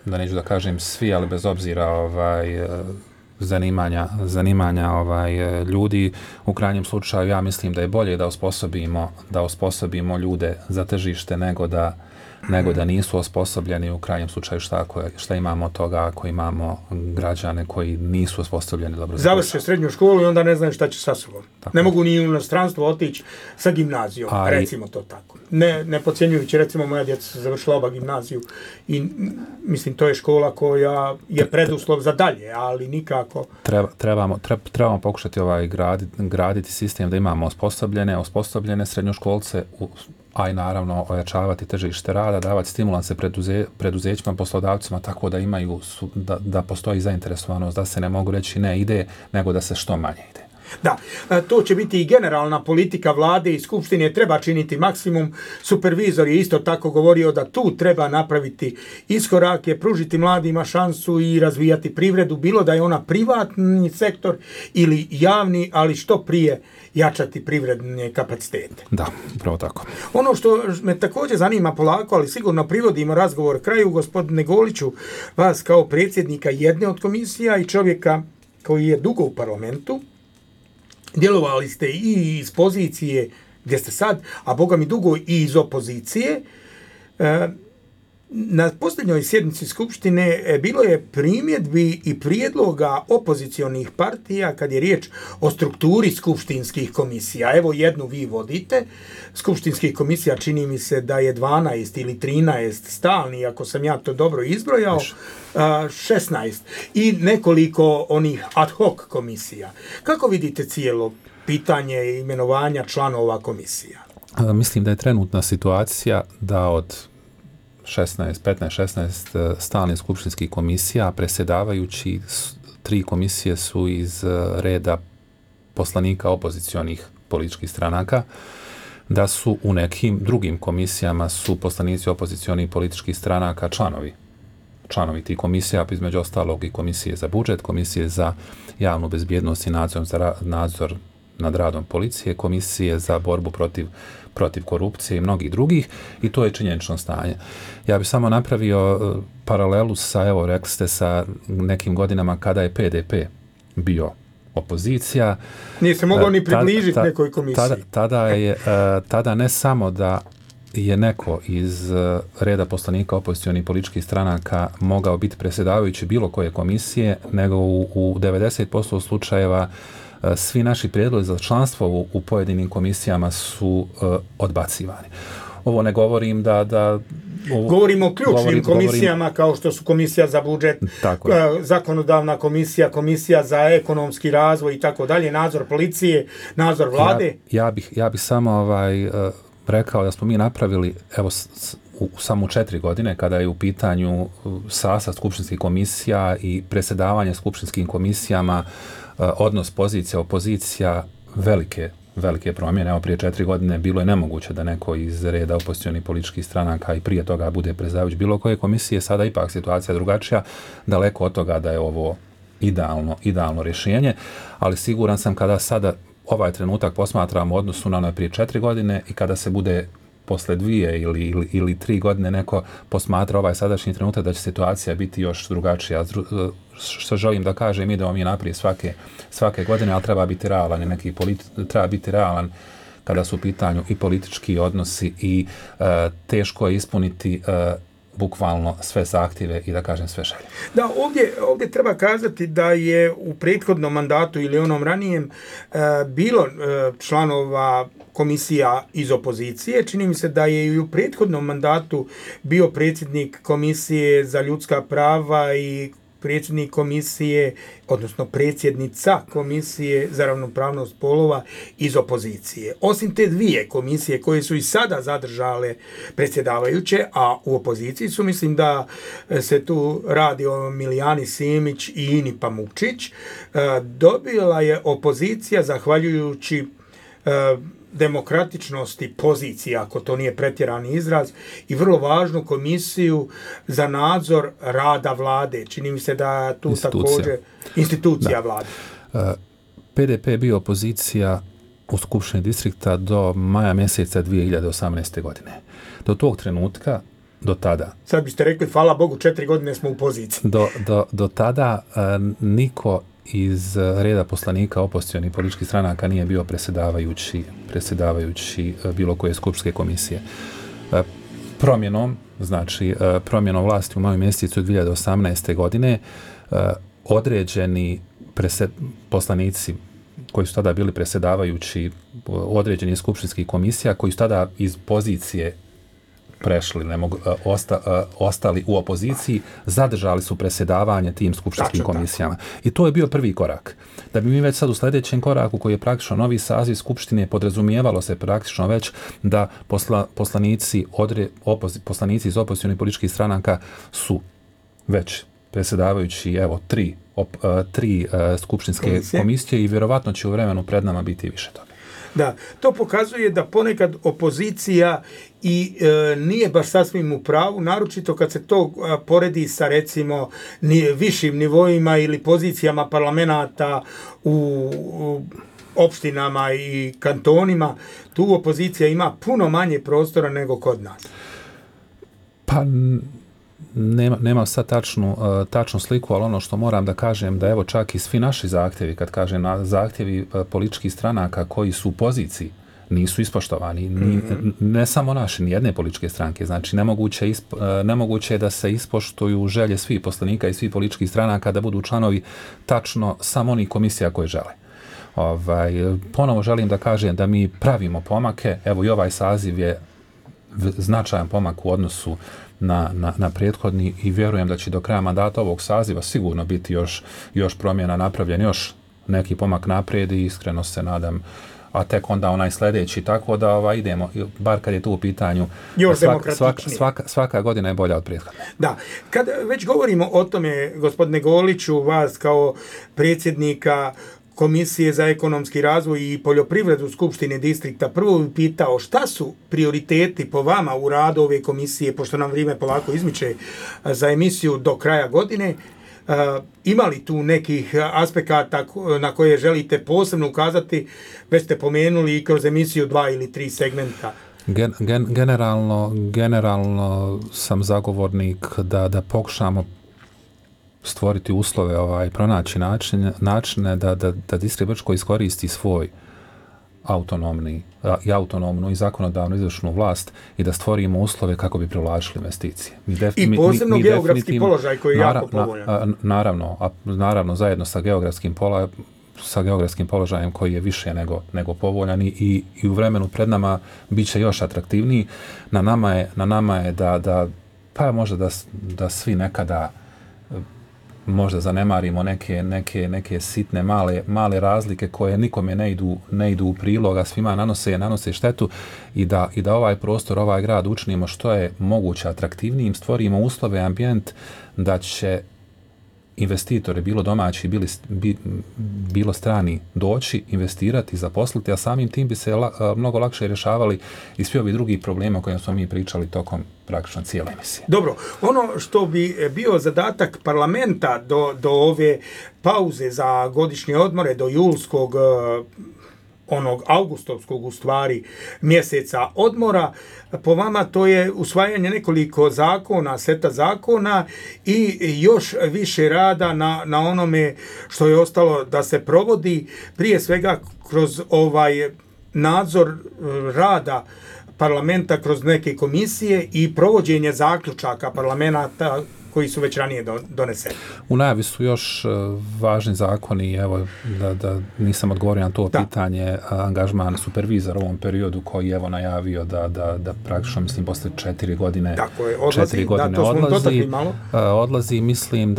[SPEAKER 8] da neću da kažem svi, ali bez obzira zanimanja ljudi. U krajnjem slučaju ja mislim da je bolje da osposobimo ljude za tržište nego da nisu osposobljeni. U krajnjem slučaju šta imamo od toga ako imamo građane koji nisu osposobljeni dobro.
[SPEAKER 4] Završe srednju školu i onda ne znaju šta će sa sobom. Tako. Ne mogu ni u inostranstvo otići sa gimnazijom, recimo to tako. Ne podcjenjujući, recimo moja djeca su završila oba gimnaziju i mislim to je škola koja je preduslov za dalje, ali nikako.
[SPEAKER 8] Trebamo pokušati graditi sistem da imamo osposobljene srednjoškolce, a i naravno ojačavati tržište rada, davati stimulanse preduzećima, poslodavcima, tako da imaju, da postoji zainteresovanost, da se ne mogu reći ne ide, nego da se što manje ide.
[SPEAKER 4] Da, to će biti i generalna politika vlade i skupštine, treba činiti maksimum. Supervizor je isto tako govorio da tu treba napraviti iskorake, pružiti mladima šansu i razvijati privredu, bilo da je ona privatni sektor ili javni, ali što prije jačati privredne kapacitete.
[SPEAKER 8] Da, upravo tako.
[SPEAKER 4] Ono što me također zanima polako, ali sigurno privodimo razgovor kraju, gospodine Goliću, vas kao predsjednika jedne od komisija i čovjeka koji je dugo u parlamentu, djelovali ste i iz pozicije gdje ste sad, a boga mi dugo i iz opozicije. Na posljednjoj sjednici Skupštine bilo je primjedbi i prijedloga opozicionih partija kad je riječ o strukturi skupštinskih komisija. Evo jednu vi vodite. Skupštinskih komisija čini mi se da je 12 ili 13 stalni, ako sam ja to dobro izbrojao, 16 i nekoliko onih ad hoc komisija. Kako vidite cijelo pitanje imenovanja članova komisija?
[SPEAKER 8] Mislim da je trenutna situacija da od 15-16 stalnih skupštinskih komisija, predsjedavajući 3 komisije su iz reda poslanika opozicionih političkih stranaka, da su u nekim drugim komisijama su poslanici opozicionih političkih stranaka članovi tih komisija, između ostalog i komisije za budžet, komisije za javnu bezbjednost i nadzor nad radom policije, komisije za borbu protiv korupcije i mnogih drugih, i to je činjenično stanje. Ja bih samo napravio paralelu sa, evo, rekli ste, sa nekim godinama kada je PDP bio opozicija.
[SPEAKER 4] Nije se mogao ni približiti nekoj komisiji.
[SPEAKER 8] Tada ne samo da je neko iz reda poslanika opozicionih političkih stranaka mogao biti predsjedavajući bilo koje komisije, nego u 90% slučajeva svi naši prijedlozi za članstvo u pojedinim komisijama su odbacivani. Ovo ne govorim
[SPEAKER 4] govorimo o ključnim komisijama kao što su komisija za budžet, zakonodavna komisija, komisija za ekonomski razvoj i tako dalje, nadzor policije, nadzor vlade.
[SPEAKER 8] Ja bih samo rekao da smo mi napravili, evo, samo 4 godine, kada je u pitanju sastav skupštinskih komisija i predsjedavanje skupštinskim komisijama, odnos pozicija, opozicija, velike promjene. Evo, prije 4 godine bilo je nemoguće da neko iz reda opozicionih političkih stranaka i prije toga bude predsjedavajući bilo koje komisije. Sada ipak situacija drugačija, daleko od toga da je ovo idealno rješenje, ali siguran sam kada sada ovaj trenutak posmatramo u odnosu na ono prije 4 godine i kada se bude posle 2 ili 3 godine neko posmatra ovaj sadašnji trenutak, da će situacija biti još drugačija. Što želim da kažem, idemo mi naprijed svake godine, ali treba biti realan treba biti realan kada su u pitanju i politički odnosi i teško je ispuniti bukvalno sve zahtjeve i da kažem sve želje.
[SPEAKER 4] Da, ovdje treba kazati da je u prethodnom mandatu ili onom ranijem bilo članova komisija iz opozicije. Čini mi se da je i u prethodnom mandatu bio predsjednik komisije za ljudska prava i predsjednik komisije, odnosno predsjednica komisije za ravnopravnost spolova iz opozicije. Osim te dvije komisije koje su i sada zadržale predsjedavajuće, a u opoziciji su, mislim da se tu radi o Milijani Simić i Ini Pamukčić, dobila je opozicija zahvaljujući demokratičnosti pozicija, ako to nije pretjerani izraz, i vrlo važnu komisiju za nadzor rada vlade. Čini mi se da tu također institucija vlade.
[SPEAKER 8] PDP je bio opozicija u Skupštini distrikta do maja mjeseca 2018. godine. Do tog trenutka, do tada...
[SPEAKER 4] Sad biste rekli, hvala Bogu, 4 godine smo u poziciji.
[SPEAKER 8] Do tada niko iz reda poslanika opozicionih političkih stranaka nije bio predsjedavajući bilo koje skupštine komisije. Promjenom vlasti u maju mjesecu 2018. godine određeni poslanici koji su tada bili predsjedavajući određenih skupštinskih komisija, koji su tada iz pozicije prešli, ostali u opoziciji, zadržali su predsjedavanje tim skupštinskim komisijama. I to je bio prvi korak. Da bi mi već sad u sljedećem koraku, koji je praktično novi saziv skupštine, podrazumijevalo se praktično već da poslanici iz opozicionih političkih stranaka su već predsjedavajući, evo, tri skupštinske komisije i vjerovatno će u vremenu pred nama biti više toga.
[SPEAKER 4] Da, to pokazuje da ponekad opozicija i nije baš sasvim u pravu, naročito kad se to poredi sa, recimo, višim nivoima ili pozicijama parlamenata u opštinama i kantonima. Tu opozicija ima puno manje prostora nego kod nas.
[SPEAKER 8] Pa nema sad tačnu sliku, ali ono što moram da kažem da evo čak i svi naši zahtjevi, kad kažem zahtjevi političkih stranaka koji su u poziciji, nisu ispoštovani. Ne samo naši, ni jedne političke stranke. Znači, nemoguće je da se ispoštuju želje svih poslanika i svih političkih stranaka da budu članovi tačno samo onih komisija koje žele. Ponovo želim da kažem da mi pravimo pomake. Evo i ovaj saziv je značajan pomak u odnosu na prethodni i vjerujem da će do kraja mandata ovog saziva sigurno biti još promjena napravljen, još neki pomak naprijed i iskreno se nadam, a tek onda onaj sljedeći, tako da idemo, bar kad je tu u pitanju, svaka godina je bolja od prethodne.
[SPEAKER 4] Da, kad već govorimo o tome, gospodine Goliću, vas kao predsjednika Komisije za ekonomski razvoj i poljoprivredu Skupštine distrikta, prvo bih pitao šta su prioriteti po vama u radu ove komisije, pošto nam vrijeme polako izmiče za emisiju do kraja godine. Ima li tu nekih aspekata na koje želite posebno ukazati? Već ste pomenuli i kroz emisiju 2 ili 3 segmenta.
[SPEAKER 8] Generalno sam zagovornik da pokušamo stvoriti uslove, pronaći načine da distrikt Brčko iskoristi svoj autonomnu i zakonodavnu izvršnu vlast i da stvorimo uslove kako bi privlačili investicije.
[SPEAKER 4] I posebno geografski položaj koji je jako povoljan.
[SPEAKER 8] Naravno, zajedno sa geografskim položajem koji je više nego povoljan i u vremenu pred nama bit će još atraktivniji. Na nama je pa možda da svi nekada možda zanemarimo neke sitne male razlike koje nikome ne idu u prilog, a svima nanose štetu i da ovaj prostor, ovaj grad učinimo što je moguće atraktivnijim, stvorimo uslove, ambijent da će investitori, bilo domaći, bilo strani, doći, investirati, zaposliti, a samim tim bi se mnogo lakše rješavali i svi ovi drugi problema o kojima smo mi pričali tokom praktično cijele emisije.
[SPEAKER 4] Dobro, ono što bi bio zadatak parlamenta do ove pauze za godišnje odmore, do julskog onog augustovskog u stvari mjeseca odmora, po vama to je usvajanje nekoliko zakona, seta zakona i još više rada na onome što je ostalo da se provodi, prije svega kroz ovaj nadzor rada parlamenta kroz neke komisije i provođenje zaključaka koji su već ranije doneseni.
[SPEAKER 8] U najavi su još važni zakoni, evo da nisam odgovorio na to pitanje, angažman supervizora u ovom periodu koji je evo najavio da praktično mislim posle 4 godine
[SPEAKER 4] tako je, odlazi,
[SPEAKER 8] 4 godine
[SPEAKER 4] to smo dotakli malo.
[SPEAKER 8] Odlazi, mislim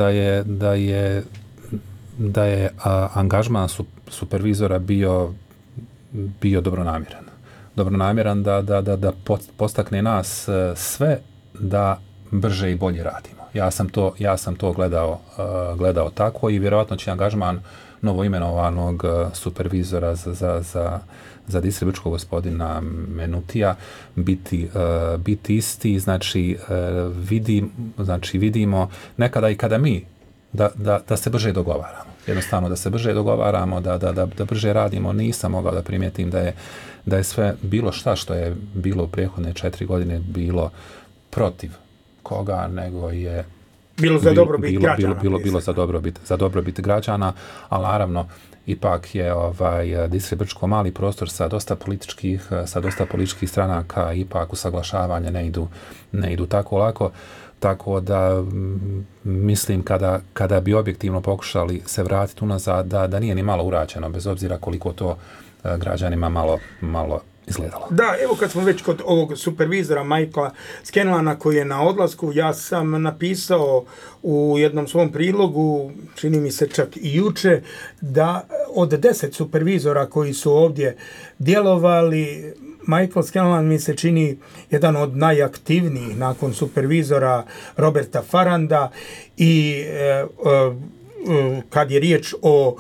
[SPEAKER 8] da je angažman supervizora bio dobronamjeran da postakne nas sve da brže i bolje radimo. Ja sam to gledao tako i vjerojatno će angažman novoimenovanog supervizora za distribučkog gospodina Menutija biti isti, znači vidimo nekada i kada mi da se brže dogovaramo. Jednostavno da se brže dogovaramo, da brže radimo. Nisam mogao da primijetim da je sve bilo šta što je bilo u prethodne 4 godine bilo protiv koga, nego je
[SPEAKER 4] bilo za dobrobit građana.
[SPEAKER 8] Bilo za dobrobit građana, ali naravno ipak je Distrikt mali prostor sa dosta političkih stranaka, ipak usaglašavanje ne idu tako lako. Tako da mislim kada bi objektivno pokušali se vratiti unazad da nije ni malo urađeno, bez obzira koliko to građanima malo izgledalo.
[SPEAKER 4] Da, evo kad smo već kod ovog supervizora Michaela Scanlana koji je na odlasku, ja sam napisao u jednom svom prilogu, čini mi se čak i juče, da od 10 supervizora koji su ovdje djelovali, Michael Scanlan mi se čini jedan od najaktivnijih nakon supervizora Roberta Farranda i kad je riječ o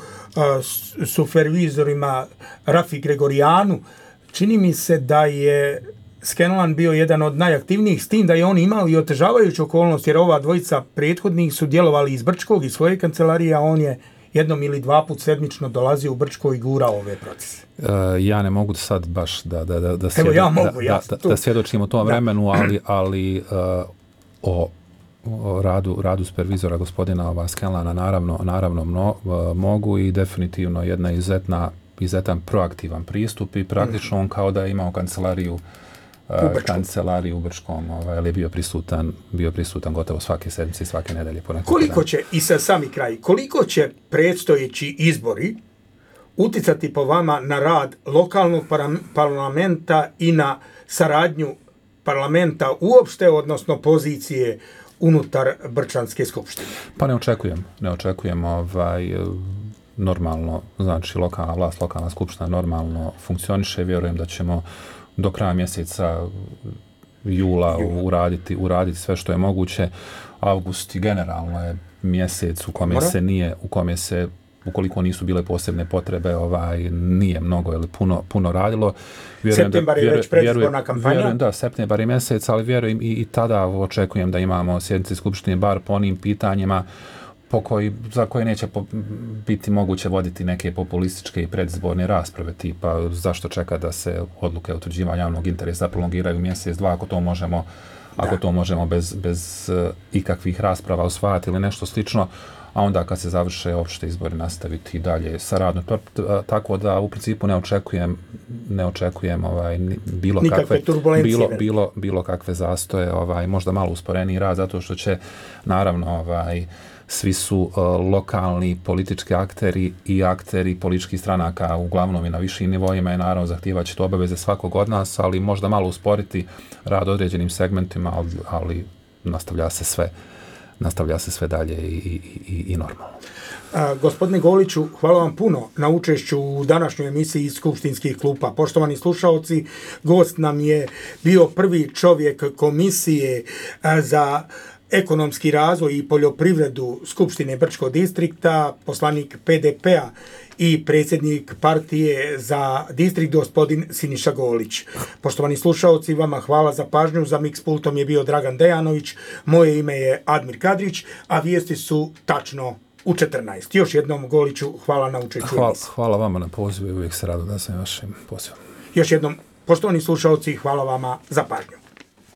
[SPEAKER 4] supervizorima Rafi Gregorijanu, čini mi se da je Scanlan bio jedan od najaktivnijih, s tim da je on imao i otežavajuću okolnost, jer ova dvojica prethodnih su djelovali iz Brčkog i svoje kancelarije, a on je jednom ili dva put sedmično dolazio u Brčko i gurao ove procese.
[SPEAKER 8] Ja ne mogu sad baš da svjedočim o tom vremenu, ali o radu supervizora gospodina Scanlana naravno mogu i definitivno jedna izuzetan proaktivan pristup i praktično on kao da je imao kancelariju u Brčkom, ali je bio prisutan gotovo svake sedmice i svake nedelje.
[SPEAKER 4] Koliko će, i sa sami kraj, koliko će predstojeći izbori uticati po vama na rad lokalnog parlamenta i na saradnju parlamenta uopšte, odnosno pozicije unutar Brčanske skupštine?
[SPEAKER 8] Pa ne očekujem normalno, znači lokalna vlast, lokalna skupština normalno funkcioniše, vjerujem da ćemo do kraja mjeseca jula uraditi sve što je moguće. Avgust generalno je mjesec u kome se ukoliko nisu bile posebne potrebe, nije mnogo ili puno radilo.
[SPEAKER 4] Septembar je već predizborna kampanja.
[SPEAKER 8] Vjerujem da, septembar je mjesec, ali vjerujem i tada očekujem da imamo sjednice skupštine bar po onim pitanjima za koje neće biti moguće voditi neke populističke i predizborne rasprave, tipa zašto čeka da se odluke utvrđivanja javnog interesa prolongiraju mjesec, dva, ako to možemo bez ikakvih rasprava usvajati ili nešto slično, a onda kad se završe opšte izbori nastaviti dalje sa radom. Tako da u principu ne očekujem bilo kakve zastoje, možda malo usporeniji rad, zato što će naravno svi su lokalni politički akteri i akteri političkih stranaka uglavnom i na višim nivoima i naravno zahtijevat će to obaveze svakog od nas, ali možda malo usporiti rad određenim segmentima, ali nastavlja se sve dalje i normalno.
[SPEAKER 4] Gospodine Goliću, hvala vam puno na učešću u današnjoj emisiji iz Skupštinskih klupa. Poštovani slušaoci, gost nam je bio prvi čovjek Komisije za ekonomski razvoj i poljoprivredu Skupštine Brčkog distrikta, poslanik PDP-a i predsjednik partije za distrikt gospodin Siniša Golić. Poštovani slušaoci, vama hvala za pažnju. Za mix pultom je bio Dragan Dejanović, moje ime je Admir Kadrić, a vijesti su tačno u 14. Još jednom, Goliću, hvala na učešću.
[SPEAKER 8] Hvala vama na pozivu i uvijek se rado da sam vašim pozivom.
[SPEAKER 4] Još jednom, poštovani slušaoci, hvala vama za pažnju.